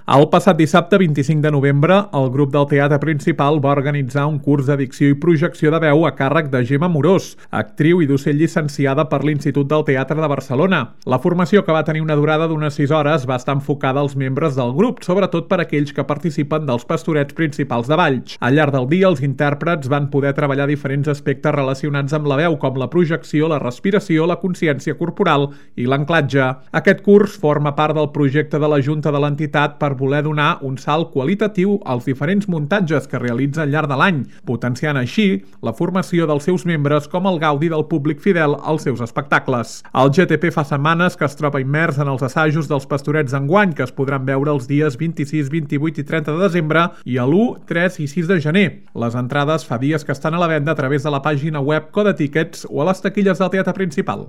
El passat dissabte 25 de novembre, el grup del Teatre Principal va organitzar un curs de dicció i projecció de veu a càrrec de Gemma Morós, actriu i docent llicenciada per l'Institut del Teatre de Barcelona. La formació, que va tenir una durada d'unes 6 hores, va estar enfocada als membres del grup, sobretot per aquells que participen dels pastorets principals de Valls. Al llarg del dia, els intèrprets van poder treballar diferents aspectes relacionats amb la veu, com la projecció, la respiració, la consciència corporal i l'anclatge. Aquest curs forma part del projecte de la Junta de l'entitat per voler donar un salt qualitatiu als diferents muntatges que realitza al llarg de l'any, potenciant així la formació dels seus membres com el gaudi del públic fidel als seus espectacles. El GTP fa setmanes que es troba immers en els assajos dels pastorets d'enguany, que es podran veure els dies 26, 28 i 30 de desembre i a l'1, 3 i 6 de gener. Les entrades fa dies que estan a la venda a través de la pàgina web Codetickets o a les taquilles del Teatre Principal.